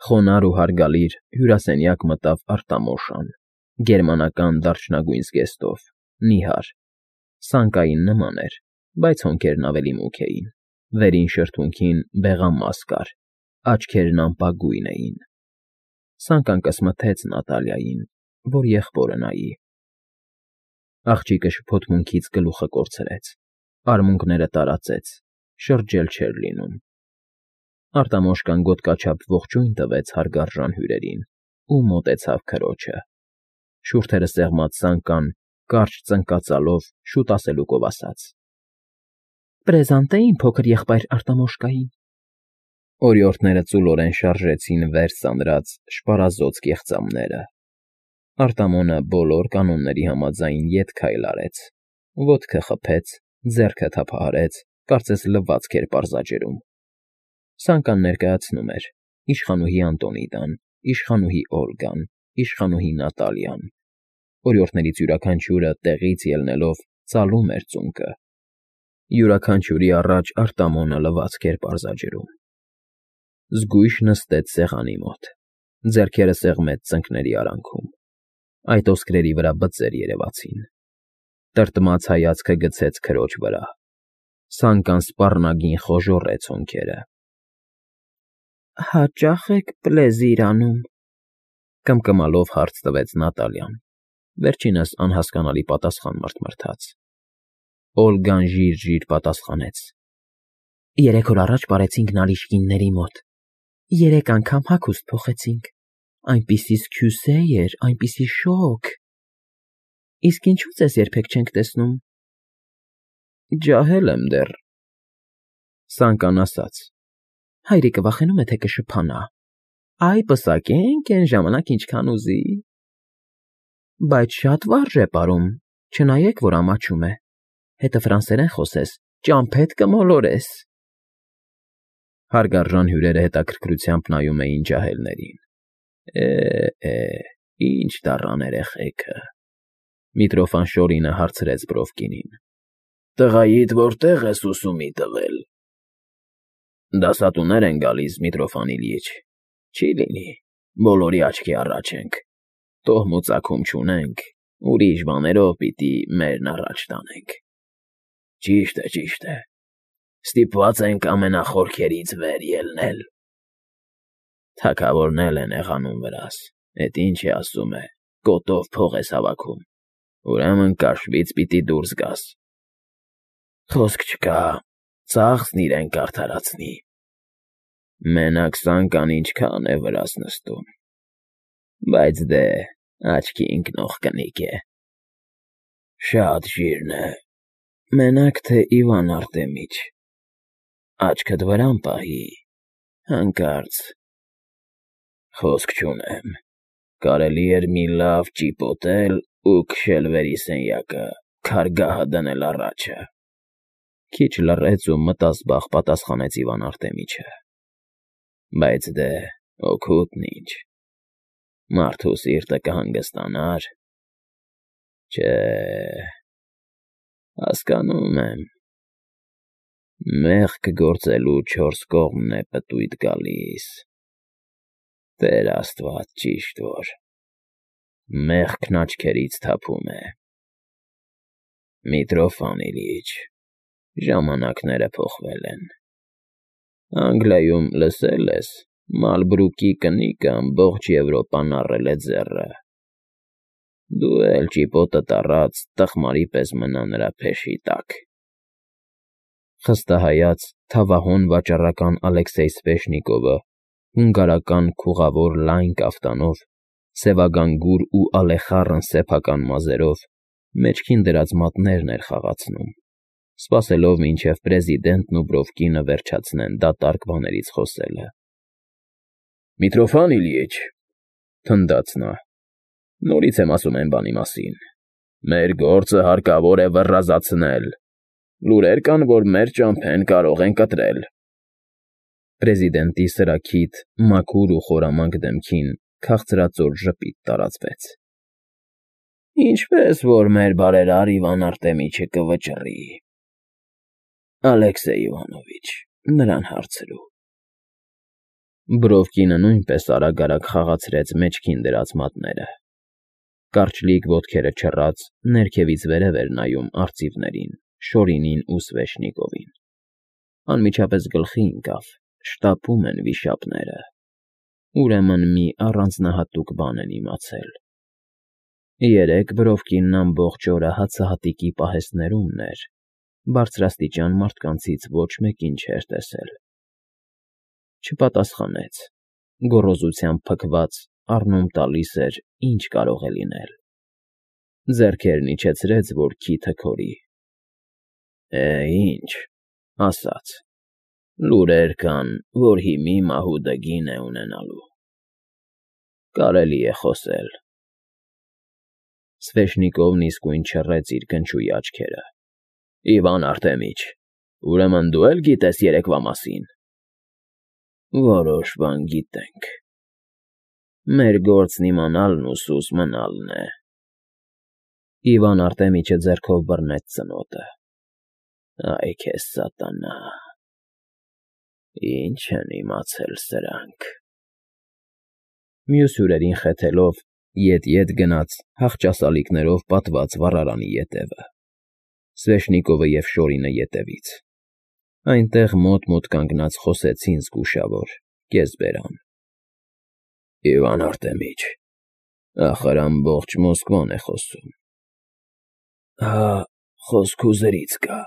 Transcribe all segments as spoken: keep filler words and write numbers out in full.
Խոնարհ ու հարգալից հյուրասենյակ մտավ Արտամոշան, գերմանական դարչնագույն զգեստով, նիհար, սանկային նման էր, բայց հոնքերն ավելի մուգ էին, վերին շրթունքին բեղամաս կար, աչքերն ամպագույն էին. Սանկան կսմթեց Նատալիային, որ եղբորը նայի։ Աղջիկը շփոթմունքից գլուխը կորցրեց, արմունկները տարածեց, շրջել չէր լինում։ Արտամոշկան գոտկաչափ ողջույն տվեց հարգարժան հյուրերին ու մոտեցավ քրոջը։ Շուրթերը սեղմած Սանկան կարճ ծնկածալով շուտ ասելուկով ասաց. ֊ Պրեզանտե իմ փոքր եղբայր Արտամոշկային։ Օրիորդները ծուլորեն շարժեցին վեր սանրած շպարազոծ կեղծամները։ Արտամոնը բոլոր կանոնների համաձայն ետ քայլ արեց, ոտքը խփեց, ձեռքը թափահարեց, կարծես լվացք էր պարզաջրում։ Սանկան ներկայացնում էր իշխանուհի Անտոնիդան, իշխանուհի Օլգան, իշխանուհի Նատալիան։ Օրիորդներից յուրաքանչյուրը տեղից ելնելով ծալում էր ծունկը։ Յուրաքանչյուրի առաջ Արտամոնը լվացք էր պարզաջրում։ Զգույշ նստեց սեղանի մոտ, ձեռքերը սեղմեց ծնկների արանքում։ Այդ ոսկրերի վրա բծեր երևացին։ Տրտմած հայացքը գցեց քրոջ վրա։ Սանկան սպառնագին խոժոռեց հոնքերը։ ֊ Հաճա՞խ եք պլեզիր անում,֊ կմկմալով հարց տվեց Նատալիան, վերջինս անհասկանալի պատասխան մռթմռթաց։ Օլգան ժիր֊ժիր պատասխանեց. ֊ Երեք օր առաջ պարեցինք Նարիշկինների մոտ, երեք անգամ հագուստ փոխեցինք, այնպիսի սքյուսե էր, այնպիսի շոգ… Իսկ ինչո՞ւ ձեզ երբեք չենք տեսնում։ ֊ Ջահել եմ դեռ,֊ Սանկան ասաց։ Հայրիկը վախենում է, թե կշփանա։ Այ պսակենք էն ժամանակ ինչքան ուզի։ Բայց շատ վարժ է պարում, չնայեք, որ ամաչում է, հետը ֆրանսերեն խոսես, ճամփեդ կմոլորես։ Հարգարժան հյուրերը հետաքրքրությամբ նայում էին ջահելներին։ Է, ինչ դառան երեխեքը,֊ Միտրոֆան հարցրեց Բրովկինին։ Տղայիդ որտե՞ղ ես ուսումի տվել։ Դասատուներ են գալիս, Միտրոֆան Իլյիչ, չի լինի, բոլորի աչքի առաջ ենք, տոհմ ու ծագում չունենք, ուրիշ բաներով պիտի մերն առաջ տանենք։ Ճիշտ է, ճիշտ է, ստիպված ենք ամենախորքերից վեր ելնել։ Թագավորն էլ են եղանում վրաս, էդ ինչ է ասում է, կոտով փող ես հավաքում, ուրեմն կաշվից պիտի դուրս գաս։ Խոսք չկա, ծախսն իրեն կարդարացնի։ Մենակ Սանկան ինչքան է վրաս նստում, բայց դե աչքի ընկնող կնիկ է։ Շատ ժիրն է, մենակ թե Իվան Արտեմիչ, աչքդ վրան պահի, հանկարծ… Խոսք չունեմ, կարելի էր մի լավ ճիպոտել ու քշել վերիսենյակը, քարգահը դնել առաջը։ Քիչ լռեց ու մտազբաղ պատասխանեց Իվան Արտեմիչը. Բայց դե օգուտն ինչ, մարդու սիրտը կհանգստանար։ Չէ, հասկանում եմ, մեղք գործելու չորս կողմն է պտույտ գալիս, Տեր Աստված, ճիշտ որ, մեղքն աչքերից թափում է։ Միտրոֆան Իլյիչ, ժամանակները փոխվել են։ Անգլիայում լսել ես, Մալբրուկի կնիկը ամբողջ Եվրոպան առել է ձեռը։ Դու էլ ճիպոտդ առած տխմարի պես մնա նրա փեշի տակ։ Խստահայաց թավահոն վաճառական Ալեքսեյ Սվեշնիկովը հունգարական քուղավոր լայն կաֆտանով, սևագանգուր ու ալեխառն սեփական մազերով մեջքին դրած մատներն էր խաղացնում, սպասելով, մինչև պրեզիդենտն ու Բրովկինը վերջացնեն դատարկ բաներից խոսելը։ Միտրոֆան Իլյիչ, թնդաց նա, նորից եմ ասում այն բանի մասին, մեր գործը հարկավոր է վռազացնել, լուրեր կան, որ մեր ճամփեն կարող են կտրել։ Պրեզիդենտի սրաքիթ, մաքուր ու խորամանկ դեմքին քաղցրածոր ժպիտ տարածվեց։ Ինչպես որ մեր բարերար Իվան Արտեմիչը կվճռի։ Ալեքսեյ Իվանովիչ, նրան հարցրու։ Բրովկինը նույնպես արագ-արագ խաղացրեց մեջքին դրած մատները. կարճլիկ ոտքերը չռած, ներքևից վերև էր նայում արծիվներին, Շորինին ու Սվեշնիկովին. անմիջապես գլխի ընկավ, շտապում են վիշապները, ուրեմն մի առանձնահատուկ բան են իմացել. երեկ Բրովկինն ամբողջ օրը հացահատիկի պահեստներումն էր, բարձրաստիճան մարդկանցից ոչ մեկին չէր տեսել. չպատասխանեց, գոռոզությամբ փքված առնում տալիս էր, ինչ կարող է լինել. ձեռքերն իջեցրեց, որ քիթը քորի. է, ինչ, ասաց, լուրեր կան, որ հիմի մահուդը գին է ունենալու, կարելի է խոսել. Սվեշնիկովն իսկույն չռեց իր կնճուի աչքերը. Իվան Արտեմիչ, ուրեմն դու էլ գիտես երեկվա մասին. որոշ բան գիտենք, մեր գործն իմանալն ու սուս մնալն է. Իվան Արտեմիչը ձեռքով բռնեց ծնոտը. Այ քեզ սատանա, ինչ են իմացել սրանք… Մյուս հյուրերին խեթելով, ետ֊ետ գնաց հախճասալիկներով պատված վառարանի ետևը, Սվեշնիկովը և Շորինը ետևից. այնտեղ մոտ-մոտ կանգնած խոսեցին զգուշավոր, կեսբերան. Իվան Արտեմիչ, ախր ամբողջ Մոսկվան է խոսում… Հա, խոսք հուզերից կա…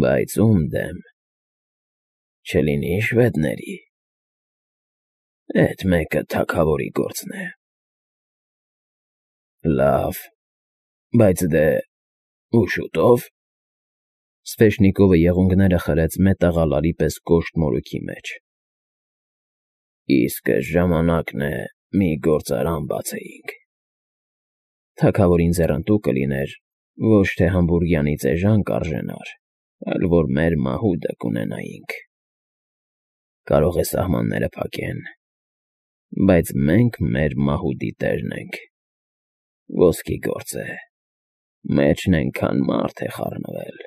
Բայց ո՞ւմ դեմ… Չլինի շվեդների… Էդ մեկը թագավորի գործն է… Լավ, բայց դե… ու շուտո՞վ… Սվեշնիկովը եղունգները խրեց մետաղալարի պես կոշտ մորուքի մեջ… Իսկը ժամանակն է մի գործարան բացեինք… Թագավորին ձեռնտու կլիներ, ոչ թե Համբուրգյանից էժան կարժենար, այլ որ մեր մահուդը կունենայինք… Կարող է սահմանները փակեն, բայց մենք մեր մահուդի տերն ենք… Ոսկի գործ է, մեջն էնքան մարդ է խառնվել…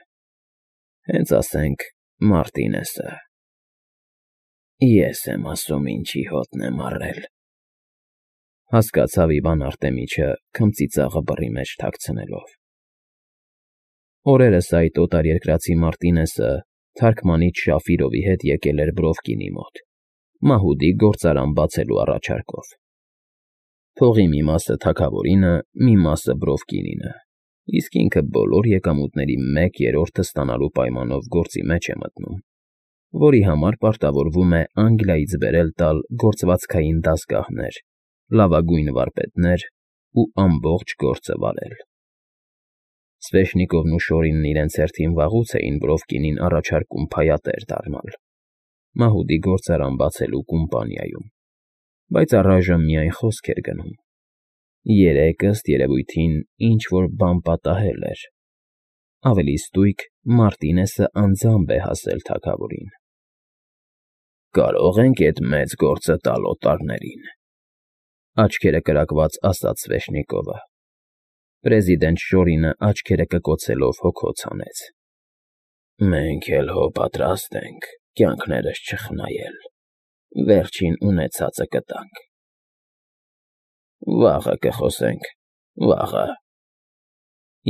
Հենց ասենք Մարտինեսը… Ես եմ ասում ինչի հոտն եմ առել… Հասկացավ Իվան Արտեմիչը քմծիծաղը բռի մեջ թաքցնելով… Օրերս այդ օտարերկրացի Մարտինեսը թարգմանիչ Շաֆիրովի հետ եկել էր Բրովկինի մոտ, մահուդի գործարան բացելու առաջարկով… Փողի մի մասը թագավորինը, մի մասը Բրովկինինը, իսկ ինքը բոլոր եկամուտների մեկ երրորդը ստանալու պայմանով գործի մեջ է մտնում, որի համար պարտավորվում է Անգլիայից բերել տալ գործվածքային դասգահներ, լավագույն վարպետներ ու ամբողջ գործը վարել… Սվեշնիկովն ու Շորինն իրենց հերթին վաղուց էին Բրովկինին առաջարկում փայատեր դառնալ, մահուդի գործարան բացելու կումպանիայում, բայց առայժմ միայն խոսք էր գնում… Երեկ, ըստ երևույթին, ինչ֊որ բան պատահել էր… Ավելի ստույգ, Մարտինեսը անձամբ է հասել թագավորին… Կարո՞ղ ենք էդ մեծ գործը տալ օտարներին… Աչքերը կրակված ասաց Սվեշնիկովը… Պրեզիդենտ Շորինը աչքերը կկոցելով հոգոց հանեց… Մենք էլ հո պատրաստ ենք կյանքներս չխնայել… Վերջին ունեցածը կտանք… Վաղը կխոսենք, վաղը…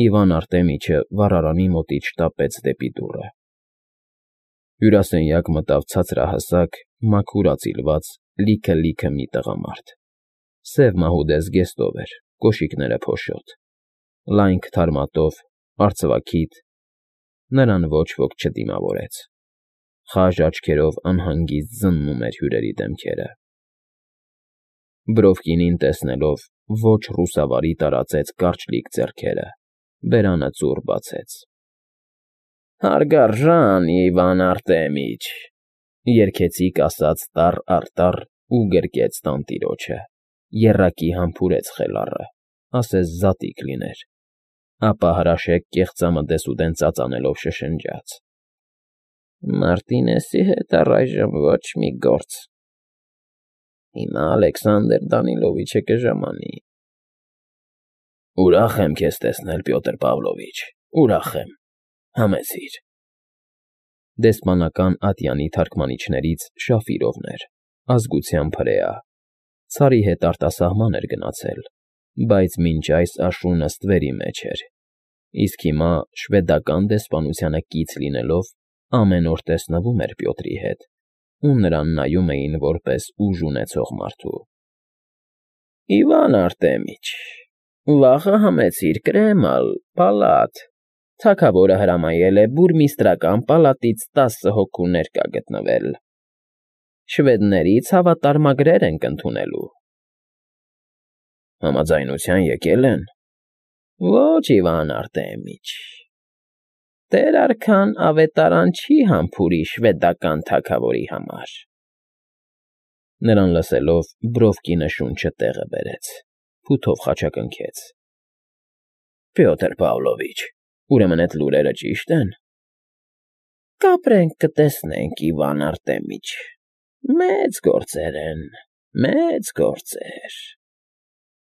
Իվան Արտեմիչը վառարանի մոտից շտապեց դեպի դուռը… Հյուրասենյակ մտավ ցածրահասակ, մաքուր ածիլված, լիքը֊լիքը մի տղամարդ… Սև մահուդե զգեստով էր, կոշիկները փոշոտ, լայնք թարմատով, արծվաքիթ… Նրան ոչ ոք չդիմավորեց… Խաժ աչքերով անհանգիստ զննում էր հյուրերի դեմքերը… Բրովկինին տեսնելով, ոչ ռուսավարի տարածեց կարճլիկ ձեռքերը, բերանը ծուռ բացեց… Հարգարժան Իվան Արտեմիչ… Երգեցիկ ասաց տառ֊առ֊տառ ու գրկեց տանտիրոջը, եռակի համբուրեց խելառը, ասես զատիկ լիներ, ապա հրաշեկ կեղծամը դեսուդեն ծածանելով շշնջաց. Մարտինեսի հետ առայժմ ոչ մի գործ… Հիմա Ալեքսանդր Դանիլովիչը կժամանի… Ուրախ եմ քեզ տեսնել, Պյոտր Պավլովիչ, ուրախ եմ… Համեցիր… Դեսպանական ատյանի թարգմանիչներից Շաֆիրովն էր, ազգությամբ հրեա, ցարի հետ արտասահման էր գնացել, բայց մինչ այս աշունը ստվերի մեջ էր, իսկ հիմա շվեդական դեսպանությանը կից լինելով ամեն օր տեսնվում էր Պյոտրի հետ ու նրան նայում էին որպես ուժ ունեցող մարդու։ ֊ Իվան Արտեմիչ, վաղը համեցիր կրեմալ, պալատ, թագավորը հրամայել է բուրմիստրական պալատից տասը հոգու ներկա գտնվել, շվեդներից հավատարմագրեր ենք ընդունելու։ ֊ Համաձայնության եկել են։ ֊ Ոչ, Իվան Արտեմիչ, Տեր արքան ավետարան չի համբուրի շվեդական թագավորի համար։ Նրան լսելով Բրովկինը շունչը տեղը բերեց, փութով խաչակնքեց։ ֊ Պյոտր Պավլովիչ, ուրեմն էդ լուրերը ճի՞շտ են։ ֊ Կապրենք, կտեսնենք, Իվան Արտեմիչ, մեծ գործեր են, մեծ գործեր…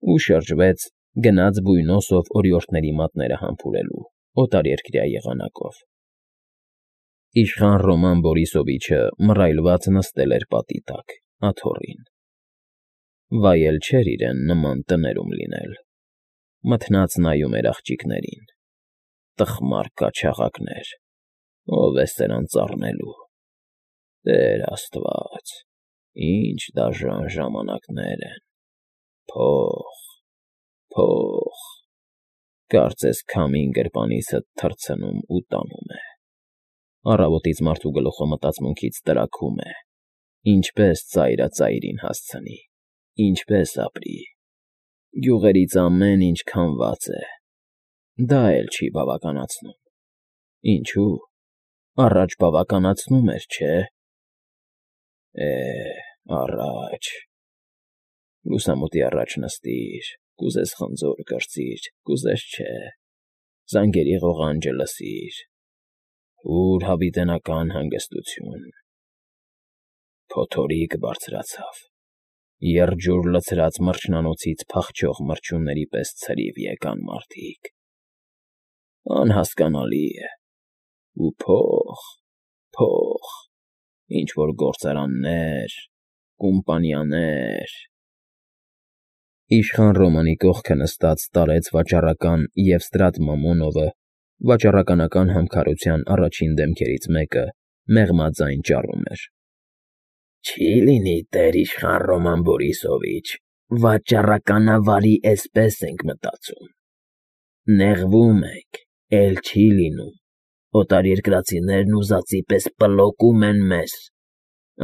Ու շրջվեց, գնաց բույնոսով օրիորդների մատները համբուրելու, օտարերկրյա եղանակով։ Իշխան Ռոման Բորիսովիչը մռայլված նստել էր պատի տակ, աթոռին։ Վայել չէր իրեն նման տներում լինել, մթնած նայում էր աղջիկներին, տխմար կաչաղակներ, ով է սրանց առնելու։ Տեր Աստված, ինչ դաժան ժամանակներ են, փող, փող, կարծես քամին գրպանիսդ թռցնում ու տանում է։ Առավոտից մարդու գլուխը մտածմունքից տրաքում է, ինչպես ծայրը ծայրին հասցնի, ինչպես ապրի։ Գյուղերից ամեն ինչ քամված է, դա էլ չի բավականացնում։ Ինչու՞, առաջ բավականացնում էր, չէ՞։ Է, առաջ… Լուսամուտի առաջ նստիր, կուզես խնձոր կրծիր, կուզես չէ, զանգերի ղողանջը լսիր, ուր հավիտենական հանգստություն… Փոթորիկ բարձրացավ, եղջյուր լցրած մրջնանոցից փախչող մրջյունների պես ցրիվ եկան մարդիկ… Անհասկանալի է… Ու փող, փող, ինչ֊որ գործարաններ, կումպանիաներ… Իշխան Ռոմանի կողքը նստած տարեց վաճառական Եվստրատ Մամոնովը վաճառականական համքարության առաջին դեմքերից մեկը մեղմաձայն ճառում էր. Չի լինի, Տեր իշխան Ռոման Բորիսովիչ, վաճառականավարի էսպես ենք մտածում, նեղվում ենք, էլ չի լինում, օտարերկրացիներն ուզածի պես պլոկում են մեզ,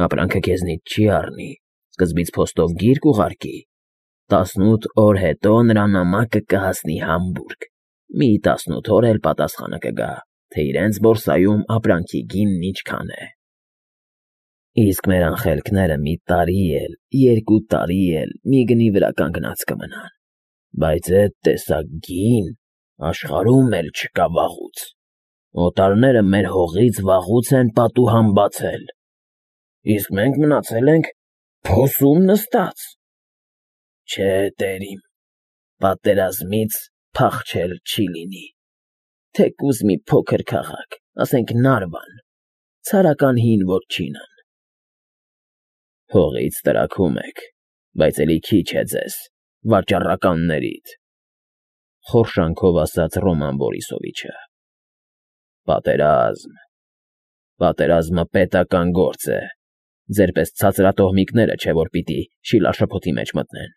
ապրանքը քեզնից չի առնի, սկզբից փոստով գիրք ուղարկի, տասնութ օր հետո նրա նամակը կհասնի Համբուրգ, մի տասնութ օր էլ պատասխանը կգա, թե իրենց բորսայում ապրանքի գինն ինչքան է։ Իսկ մեր անխելքները մի տարի էլ, երկու տարի էլ մի գնի վրա կանգնած կմնան, բայց էդ տեսակ գին աշխարհում էլ չկա վաղուց, օտարները մեր հողից վաղուց են պատուհան բացել, իսկ մենք մնացել ենք փոսում նստած։ Չէ, տերիմ, պատերազմից փախչել չի լինի, թեկուզ մի փոքր քաղաք, ասենք Նարվան, ցարական հին ոչինան։ Հողից տրաքում եք, բայց էլի քիչ է ձեզ, վաճառականներիդ, խորշանքով ասաց Ռոման Բորիսովիչը։ Պատերազմ, պատերազմը պետական գործ է, ձեր պես ցածրատոհմիկները չէ, որ պիտի շիլաշփոթի մեջ մտնեն։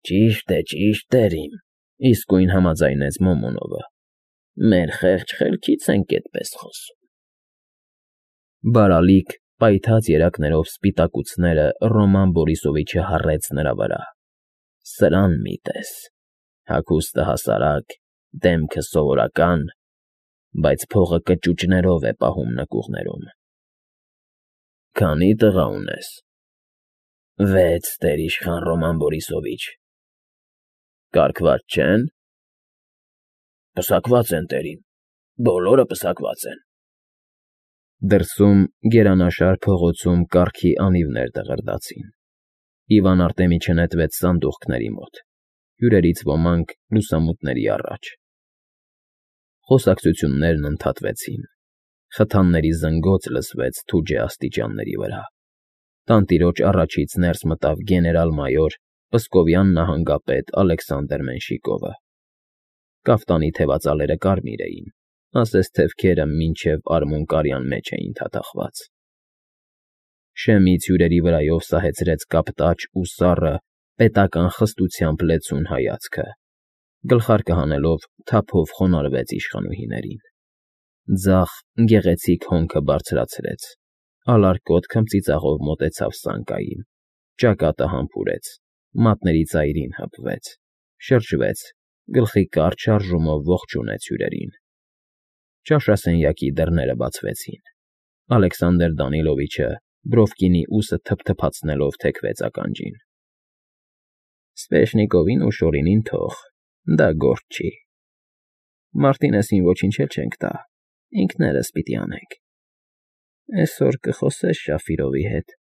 Ճիշտ է, ճիշտ, տերիմ, իսկույն համաձայնեց Մոմոնովը, մեր խեղճ խելքից ենք էդպես խոսում։ Բարալիկ, պայթած երակներով սպիտակուցները Ռոման Բորիսովիչը հառեց նրա վրա։ Սրան մի տես, հագուստը հասարակ, դեմքը սովորական, բայց փողը կճուճներով է պահում նկուղներում։ Քանի տղա ունես։ Վեց, Տեր իշխան Ռոման Բորիսովիչ։ Կարգված չե՞ն։ Պսակված են, տերիմ, բոլորը պսակված են։ Դրսում գերանաշար փողոցում կառքի անիվներ դղրդացին։ Իվան Արտեմիչը նետվեց սանդուղքների մոտ, հյուրերից ոմանք լուսամուտների առաջ։ Խոսակցություններն ընդհատվեցին։ Խթանների զնգոց լսվեց թուջե աստիճանների վրա։ Տանտիրոջ առաջից ներս մտավ գեներալ֊մայոր Պսկովյան նահանգապետ Ալեքսանդր Մենշիկովը։ Կաֆտանի թևածալերը կարմիր էին, ասես թևքերը մինչև արմունկարյան մեջ էին թաթախված։ Շեմից հյուրերի վրայով սահեցրեց կապտաճ ու սառը, պետական խստությամբ լեցուն հայացքը, գլխարկը հանելով թափով խոնարհվեց իշխանուհիներին։ Ձախ, գեղեցիկ հոնքը բարձրացրեց, ալարկոտ քմծիծաղով մոտեցավ սանկային, ճակատը համբուրեց, մատների ծայրին հպվեց, շրջվեց, գլխի կարճ շարժումով ողջունեց հյուրերին։ Ճաշասենյակի դռները բացվեցին։ Ալեքսանդր Դանիլովիչը բրովկինի ուսը թփթփացնելով թեքվեց ականջին։ Սվեշնիկովին ու Շորինին թող, դա գործ չի։ Մարտինեսին ոչինչ էլ չենք տա, ինքներս պիտի անենք։ Էսօր կխոսես Շաֆիրովի հետ։